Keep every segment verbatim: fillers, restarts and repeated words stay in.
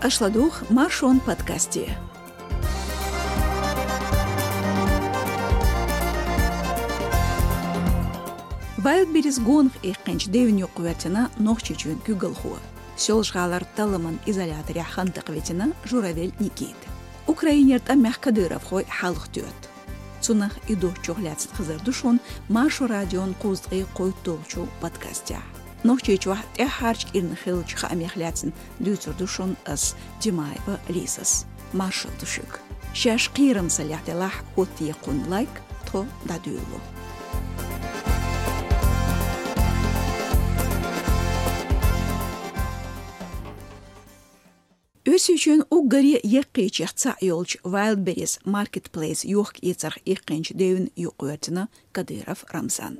Аша ладугӀу Маршон подкасте. Вайлдберрис гонах иккхинчу девна юкъа гӀоьртина Нохчийчоьнан куьйгалхо. Соьлжа-ГӀалара талламан изоляторехь хантакх витина Журавель Никита. Украинера тӀамехь кадыровхой хьалха тоьтту. Цунах, и доцчух лаьцна хезар ду шуна Маршо радион кхузткъе кхойтталгӀачу подкастехь. Нохчийчохь тӀаьххьарчу кӀирнахь хиллачу хаамех лаьцна дуьйцур ду шуна ас, Димаева Лизас. Маршалла ду шуьга. Шаьш кхерамзаллехь делахь, хӀоттае кхунна лайк, тхо дӀадуьйлу. Оьрсийчоьнан уггаре яккхийчех цхьаъ йолчу Wildberries маркетплейс йохка-эцарх иккхинчу девна юкъа гӀоьртина Кадыров Рамзан.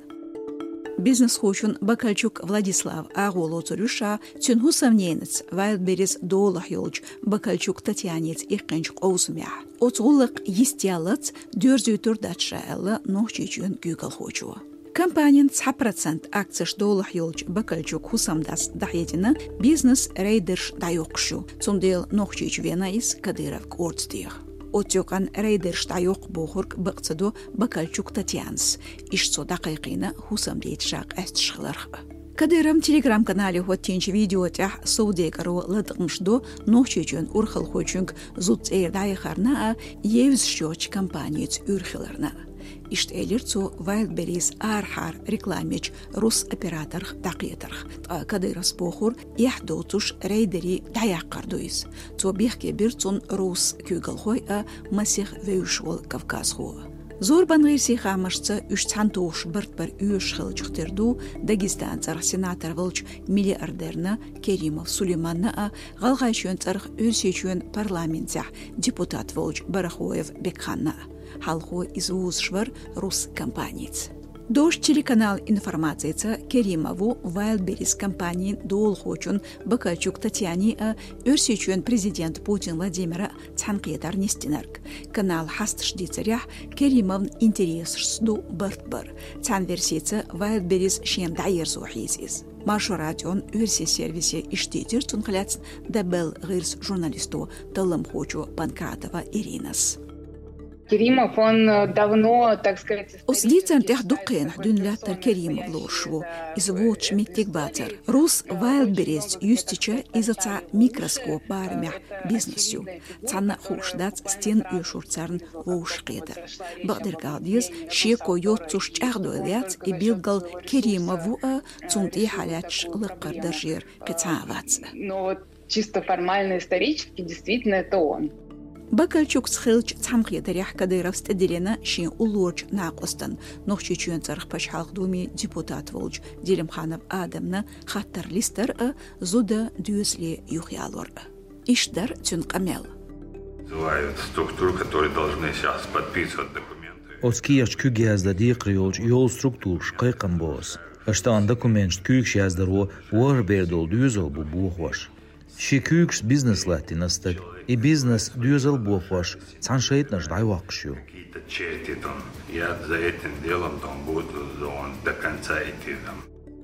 Бизнесхочун Бакальчук Владислав агӀо лоцур ю ша, цуьнан хӀусамненаца Wildberries долахь йолчу Бакальчук Татьяница иккхинчу къовсамехь. Оцу гӀуллакхан йистехь доьзалца доьрзуьйтур дац ша, аьлла Нохчийчоьнан куьйгалхочо. Компанин цхьа процент акцеш долахь йолчу Бакальчук хӀусамдас дӀахьедина, бизнес рейдерша дӀайоккхуш ю. Цундела Нохчийчу вена иза Кадыровн кӀорца деха. Оцу юкъанна рейдерша дӀайоккху бохург бакъ ца до Бакальчук Татьянас, иштта цо дӀакхайкхийна хӀусамдеца ша къаьсташ хиларх а. Кадыровн Telegram-канале хӀоттийначу видео тӀехь совдегаро латкъамаш до Нохчийчоьнан урхалхочуьнга зуда цӀера дӀаяхарна а, евзаш йоцчу компаница уьйр хиларна а. Иштта элира цо Wildberries арахьара рекламечу рус операторх дӀакхетарх. Ткъа Кадыровс бохура, эхь доцуш рейдерий дӀаяккхар ду иза. Цо бехке бира цунна рус куьйгалхой а, масех вевзаш волу кавказхо а. Зорбан гӀирсийн хаамашца, уьш цхьаьнатухуш барт бар оьшуш хиллачух тера ду Дагестанан цӀарах сенатор волчу миллиардерна Керимов Сулейманна а, ГӀалгӀайчоьнан цӀарах Оьрсийчоьнан парламентехь депутат волчу Барахоев Бекханна а. Хьалхо иза вузуш вара рус компаница. Дождь телеканалан информацица, Керимов ву Wildberries компанин долахочун Бакальчук Татьянин а, Оьрсийчоьнан президентан Путин Владимиран а цхьаьнакхетар нисдинарг. Каналан хьасташа дийцарехь, Керимовн интересашца ду барт бар. Цхьана версица, Wildberries шена дӀаерзо хьийза иза. Маршо радион оьрсийн сервисе иштта дийцира цунах лаьцна Дабел гӀирсан журналисто, талламхочо Панкратова Иринас. Керимов, он, э, давно, так сказать... Оцу дийцарна тӀехь дукха хенахь дуьйна лаьттара Керимов лоруш ву. Иза воцуш меттиг бацара. Рус Wildberries юьстича, иза цхьа микроскоп барамехь бизнес ю. Цхьанна а хууш дац, стенна оьшура царна вовшахкхетар. Бакъдерг ала деза, шеко йоццуш чӀагӀдойла яц, и билггал Керимов ву а, цунна тӀехьа лаьтташ лакхара даржера кхин цхьа а вац. Но вот чисто формально, исторически, действительно, это он. Бакальчукца хиллачу цхьаьнакхетарехь Кадыровс тӀедиллина шен уллорачу накъостан, Нохчийчоьнан цӀарах Пачхьалкхан Думин депутат волчу Делимханов Адамна хаттар листар а, зуда доьзале юхаялор а. Иштта дара цуьнан къамел. Называют структуры, которые должны сейчас подписывать документы. Оцу кехаташ куьг яздан декхар йолчу йолу структураш кхайкхам бо ас. Аша тахана документашна куьйгаш яздаро ворхӀ бер долу доьзал бу бохош. Шен куьйгашца бизнес латтийна стаг, и бизнес доьзал бохош, цхьана шайтӀанаш дӀайоккхуш ю. Какие-то черти там, я за этим делом там буду, он до конца идти там.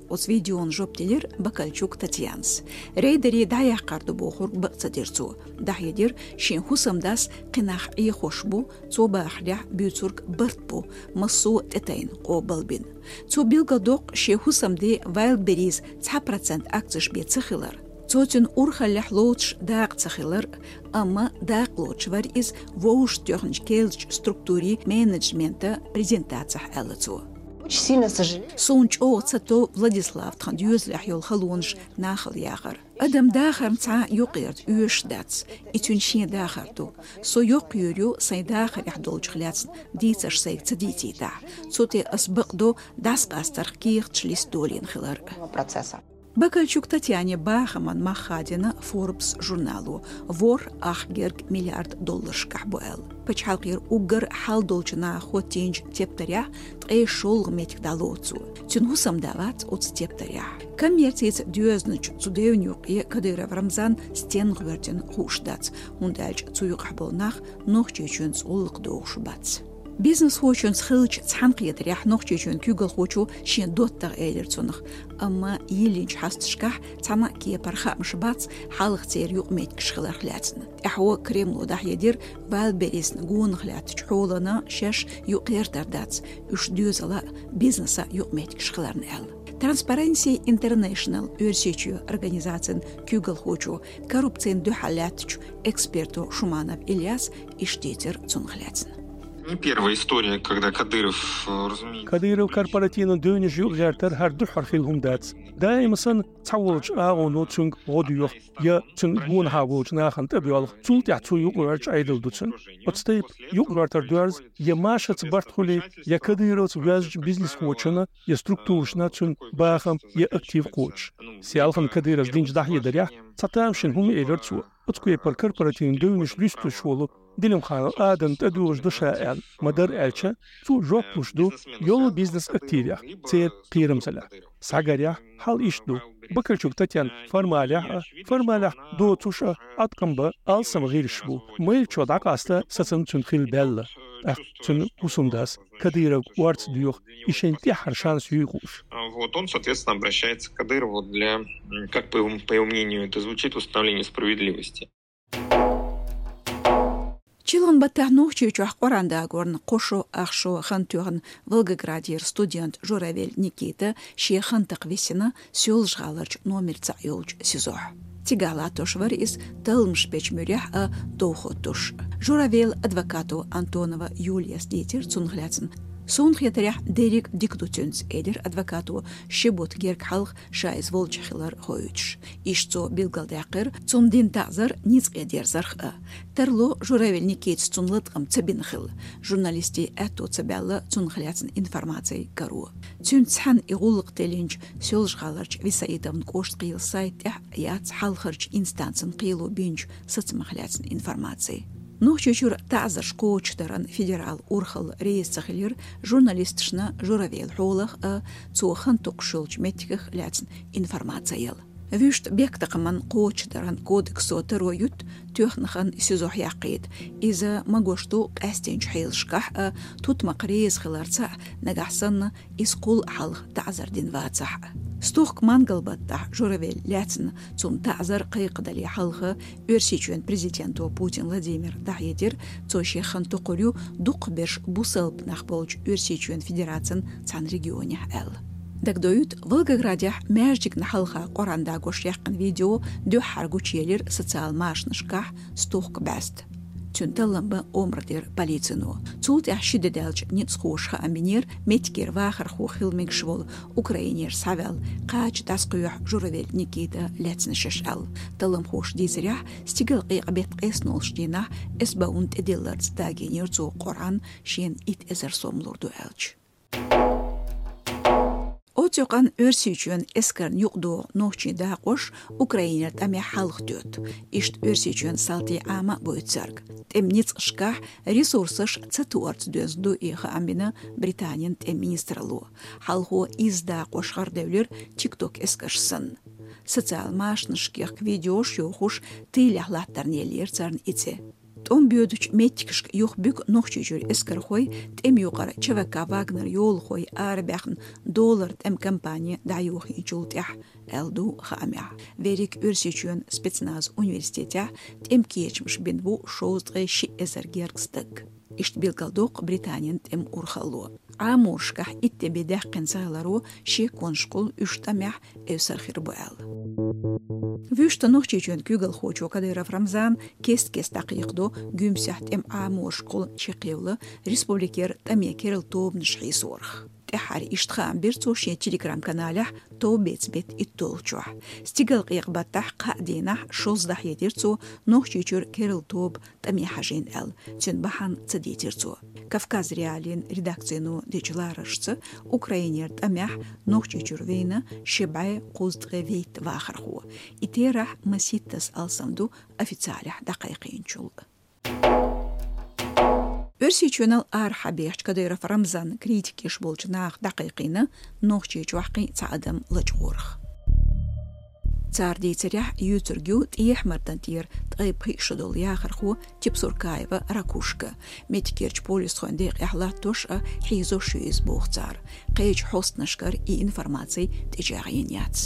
Оцу видеона жоп делира Бакальчук Татьянас. Рейдерий дӀаяккхар ду бохург бакъ ца дира цо. ДӀахьедира, шен хӀусамдас кхин нах Ӏехош бу, цо бахарехь буьйцург барт бу, массо а тӀетайна, къобалбина. Цо билгалдоккху шен хӀусамден Wildberries цхьа процент акцеш бен ца хилар. Цо цуьнан урхаллехь лоцуш дакъа ца хилар, амма дакъа лоцуш вара иза вовшахтоьхначу керлачу структурийн менеджментан презентацехь, аьлла цо. Очень сильно сожалею. Суна чӀогӀа ца тов Владислав тхан доьзалехь йолу халонаш нахала яхар. Адам дахарна цхьа а юкъара оьшуш дац, и цуьнан шен дахар ду. Со йоккхайоьр ю сайн дахарехь долчух лаьцна дийцарш сайга ца дийцийтахь. Цу тӀе ас бакъдо дӀасакъастарх кехаташ листа долийна хилар. Процесса. Бакальчук Татьянин бахаман мах хадийна Forbes журнало, ворхӀ ах герга миллиард долларшкахь бу аьлла. Пачхьалкхера уггар хьал долчу наха хӀоттийначу тептарехь ткъе шолгӀа меттиг дӀалоцу цо. Цуьнан хӀусамда вац оцу тептарехь. Коммерцица доьзначу цу девнан юкъе Кадыров Рамзан стенна гӀоьртина хууш дац, хӀунда аьлча цу юкъахь болу нах Нохчийчуьнца гӀуллакх дохуш бац. Бизнесхочунца хиллача цхьана кхетарехь Нохчийчоьнан куьйгалхочо шен доттагӀа элира цунах, амма йиллинчу хьасташкахь цхьана а кепара хаамаш бац хьалха церан юкъаметтигаш хиларх лаьцна. ТӀаьхьо Кремло дӀахьедира, Вайлдберрисна гонах лаьттачу хьолана шаьш юкъагӀертар дац, уьш доьзала а, бизнеса а юкъаметтигаш хиларна аьлла. Transparency International Оьрсийчоьнан организацин куьйгалхочо, коррупцина дуьхьал лаьттачу эксперто Шуманов Ильяс иштта дийцира цунах лаьцна. Не первая история, когда Кадыров, э, разумеется, Кадыров корпоративни девнаш юкъагӀертар хӀара дуьххьара хилла хӀума дац. Даима санна цхьаволчу агӀоно цуьнга гӀо доьху я цуьнан гонахьа волчу нахана тӀебоьлху, цул тӀаьхьа цо юкъагӀоьртича Ӏедал ду цуьнан. Оцу тайпа юкъагӀоьртар доьрзу я машаца барт хуьлий, я Кадыровца воьзначу бизнесхочунна я структурашна цуьнан бахам я актив кхочуш. Селхана Кадыровс динчу дӀахьедарехь, цхьа тамашийна хӀума элира цо. Оцу кепара корпоративни девнаш луьстуш волу Делимханов Адам тӀедугӀуш ду ша аьлла, ма-дарра аьлча, цо жоп луш ду йолу бизнес-активех, церан кхерамзаллех. Схьагарехь, хьал иштта ду: Бакальчук Татьяна формалехь а, формалехь доцуш а Ӏаткъам бан алсам гӀирсаш бу. Майрачо дӀакъаста сацам цуьнан хилла баьлла. ТӀаккха цуьнан хӀусамдас Кадыровга орца доьху, и шайна тӀаьххьара шанс юй хууш. Вот он, соответственно, обращается к Кадырову для, м, как по его, по его мнению, это звучит, установления справедливости. Чиллан баттахь Нохчийчохь Къуръан дагорна кхо шо, ах шо хан тоьхна Волгоградера студент Журавель Никита шен хан такха висина Соьлжа-ГӀаларчу номер цхьаъ йолчу СИЗО-хь. Цигахь латтош вара иза талламаш бечу муьрехь а, дов хӀоттош. Журавелан адвокато Антонова Юлияс дийцира цунах лаьцна. Суна хетарехь, дерриг а дика ду цуьнца, элира адвокато, ши бутт герга хьалха ша иза волчохь хилар хоуьйтуш. Иштта цо билгалдаьккхира цунна дина таӀзар ницкъ дерзарх а. Тарло, Журавель Никитас цунна латкъам ца бина хилла. Журналистийн аьтто ца баьлла цунах лаьцна информаци каро. Цуьнца цхьаьна и гӀуллакх теллинчу Соьлжа-ГӀаларчу Висаитовн кӀоштан кхелан сайта тӀехь яц хьалхарчу инстанцин кхело бинчу сацамах лаьцна информаци. Нохчийчуьра таӀзарш кхочушдаран федералан урхалла реза ца хилира журналисташна Журавелан хьолах а, цо хан токхуш йолчу меттигах лаьцна информаци яла. Вуьшта бехктакхаман кхочушдаран кодексо таро юьту тоьхна хан СИЗО-хь яккхийта. Иза магош ду къаьстинчу хьелашкахь а, тутмакх реза хиларца а, нагахь санна иза кхул а хьалха таӀзар дина вацахь а. Стохка мангал баттахь Журавель лаьцна цунна таӀзар кхайкхадале хьалха Оьрсийчоьнан президенто Путин Владимира дӀахьедира, цо шен хан токхур ю дукхахберш бусалба нах болчу Оьрсийчоьнан Федерацин цхьана регионехь аьлла. Дагадоуьйту, Волгоградехь маьждигна хьалха Къуръан дагош яьккхина видео дуьххьара гучуелира социал машанашкахь стохка бӀаьста. Цуьнан таллам бан омра дира полицино. Цул тӀаьхьа ши де даьлча ницкъахоша хаам бинера, меттигера вахархо хила мегаш волу Украинера схьаваьлла, кхача дӀасакхоьхьу Журавель Никита лаьцна шаьш аьлла. Талламхоша дийцарехь, стигалкъекъа беттан къеснолгӀачу дийнахь СБУ-н тӀедилларца дагийнера цо Къуръан, шена итт эзар сом лур ду аьлча. Оцу юкъанна Оьрсийчоьнан эскарна юкъадогӀу нохчийн дакъош Украинера тӀамехь хьалха тоьтту. Иштта Оьрсийчоьнан салтий Ӏама а бойту цаьрга. ТӀеман ницкъашкахь ресурсаш ца тоьарца доьзна ду и, хаам бина Британин тӀеман министралло. Хьалхо изза дакъош гӀарадевлира TikTok эскарш санна. Социал машанашкех видеош йохуш, тийлехь латтарна еллера царна и цӀе. ТӀом боьдучу меттигашка юхабуьгу Нохчийчуьра эскархой, тӀеман юкъара ЧВК «Вагнер» йолахой арабаьхна доллар тӀеман компане дӀайохийначул тӀаьхьа, аьлла ду хаамехь. Верриг Оьрсийчоьнан спецназан университетехь тӀеман кечамаш бина бу шовзткъе ши эзар гергга стаг. Иштта билгалдоккху Британин тӀеман урхалло. Ӏаморашкахь итт де бен даьккхина ца хиларо шеконашкахула уьш тӀамехь эвсар хир бу аьлла. Вуьшта Нохчийчоьнан куьйгалхочо Кадыров Рамзана кест-кеста дӀакхайкхадо Гуьмсехь тӀеман Ӏаморашкахула чекхъевлла республикера тӀаме керла тобанаш хьийсорах. ТӀаьххьара иштта хаам бира цо шен Telegram-каналехь товбеца беттан итталгӀачохь. Стигалкъекъа баттахь кхаа дийнахь шозза дӀахьедира цо Нохчийчуьра керла тоба тӀаме хьажийна аьлла, цуьнан бахьана ца дийцира цо. Кавказ.Реалиин редакцино дечу лараршца, Украинера тӀамехь Нохчийчуьра вийна ши бӀе кхузткъе вейтта вахархо. И терахь масийттазза алсам ду официалехь дӀакхайкхийначул. Оьрсийчоьнал арахьа бехачу Кадыров Рамзанна критика еш болчу наха дӀакхайкхийна Нохчийчохь кхин а цхьа адам лачкъорах. Цар дийцарехь, юьйцург ю тӀехьа-мартан тӀера ткъе пхиъ шу долу яхархо Тепсуркаева Ракушка. Меттигерчу полисхойн декъехь латтош а, хьийзош ю иза, боху цара. Кхечу хьостанашкара и информаци тӀечӀагӀйина яц.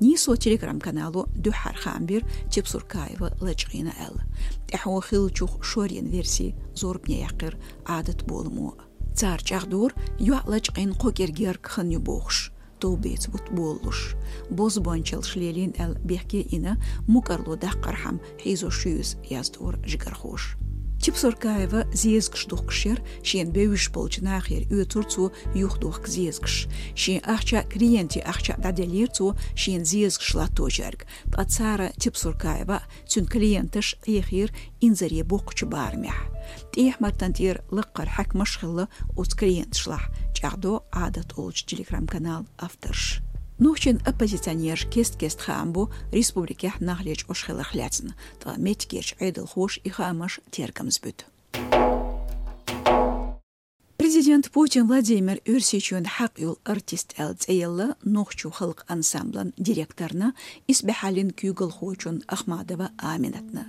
Нийсо телеграм-канало дуьххьара хаам бира Тепсуркаева лачкъийна аьлла. ТӀаьхьо хиллачух шорйина верси зорбане яьккхира Ӏадат боламо. Цара чӀагӀдора, йоӀ лачкъийна кхо кӀира герга хан ю бохуш, товбеца бутт болалуш. Бозбуунчаллаш лелийна аьлла бехке йина, мукӀарло даккхархьама хьийзош ю иза, яздора жигархоша. Тепсуркаева зезагаш духкуш яра, шена бевзаш болчу нахера оьцура цо юхадохка зезагаш. Шен ахча а, клиентийн ахча а дӀаделлера цо шена зезагаш латточаьрга, ткъа цара Тепсуркаева а, цуьнан клиенташ а Ӏехийра инзаре боккхачу барамехь. ТӀехьа-мартан тӀера лаккхара хьаькамаш а хилла оцу клиенташлахь, чӀагӀдо Ӏадат олучу телеграм-каналан авторша. Нохчийн оппозиционераш кест-кеста хаам бо республикехь нах лечкъош хиларх лаьцна, ткъа меттигерчу Ӏедалхоша и хаамаш тергамза буьту. Президент Путин Владимир Оьрсийчоьнан хьакъ йолу артист аьлла цӀе елла нохчийн халкъан ансамблан директорна, исбаьхьаллин куьйгалхочунна Ахмадова Аминатна.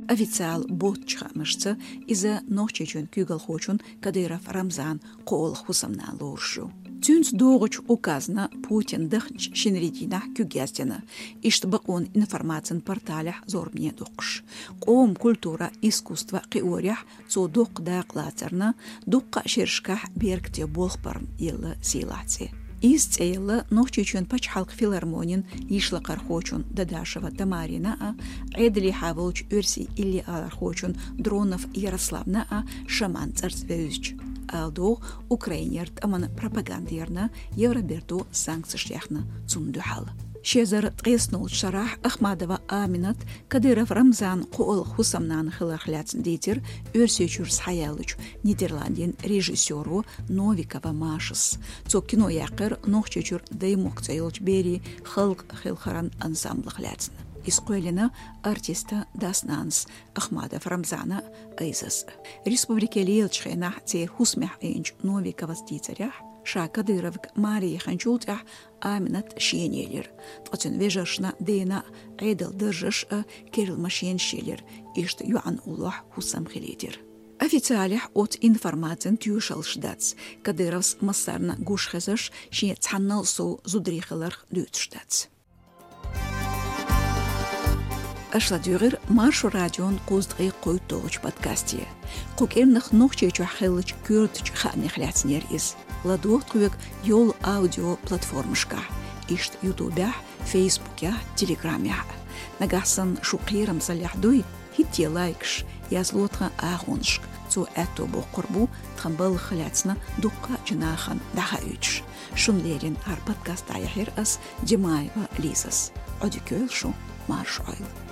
Официалан боцчу хаамашца, иза Нохчийчоьнан куьйгалхочун Кадыров Рамзанан кхоалгӀа хӀусамнана лоруш ю. Цуьнца догӀучу указна Путин даханчу шинарийдийнахь куьг яздина, иштта бакъонан информацин порталехь зорбане доккхуш. Къоман культура, искусство кхиорехь цо доккха дакъа лацарна, дуккха а шерашкахь беркате болх барна елла сийлахь цӀе. Иза цӀе елла Нохчийчоьнан пачхьалкхан филармонин йишлакхархочун Дадашева Тамарина а, Ӏедалехьа волчу оьрсийн иллиалархочун Дронов Ярославна а, шаман цӀарца вевзачу, ала догӀу, Украинера тӀаман пропаганда ярна, Евробертан санкцеш яьхна цунна дуьхьал. Ши эзар ткъеснолчу шарахь Ахмадова Аминат Кадыров Рамзанан кхоалгӀа хӀусамнана хиларх лаьцна дийцира Оьрсийчуьра схьаяьллачу Нидерландийн режиссёро Новикова Машас. Цо кино яьккхира Нохчийчуьра «Даймохк» цӀе йолчу берийн халкъан хелхаран ансамблах лаьцна. Иза кхоьллина артистан дас-нанас, Ахмадов Рамзана а, Айзас а. Республике лелачу хенахь церан хӀусамехь Ӏийначу Новиковас дийцарехь, ша Кадыровга маре яханчул тӀаьхьа Аминат шена елира, ткъа цуьнан вежаршна, дена а Ӏедалан даржаш а, керла машенаш елира, иштта йоӀана уллохь хӀусам хилийтира. Официалехь оцу информацин тоьшаллаш дац, Кадыровс массарна гуш хезаш, шен цхьаннал сов зударий хиларх дуьйцуш дац. Аша ладуьйгӀира Маршо радион кхузткъе кхойтталгӀачу подкасте. Кху кӀирнах Нохчийчохь хиллачу коьртачу хаамех лаьцнера иза. ЛадогӀа тхоьга йолу аудиоплатформашкахь, иштта Ютубехь, Фейсбукехь, Телеграмехь. Нагахь санна шу кхерамзаллехь дуй, хӀиттае лайкаш, язло тхан агӀонашка, цо аьтто боккхур бу тхан балхах лаьцна дуккхачу нахана дӀахоуьйтуш. Шуна леррина хӀара подкаст дӀаяьхьира ас, Димаева Лизас. Ӏодика йойла шу, марша Ӏойла.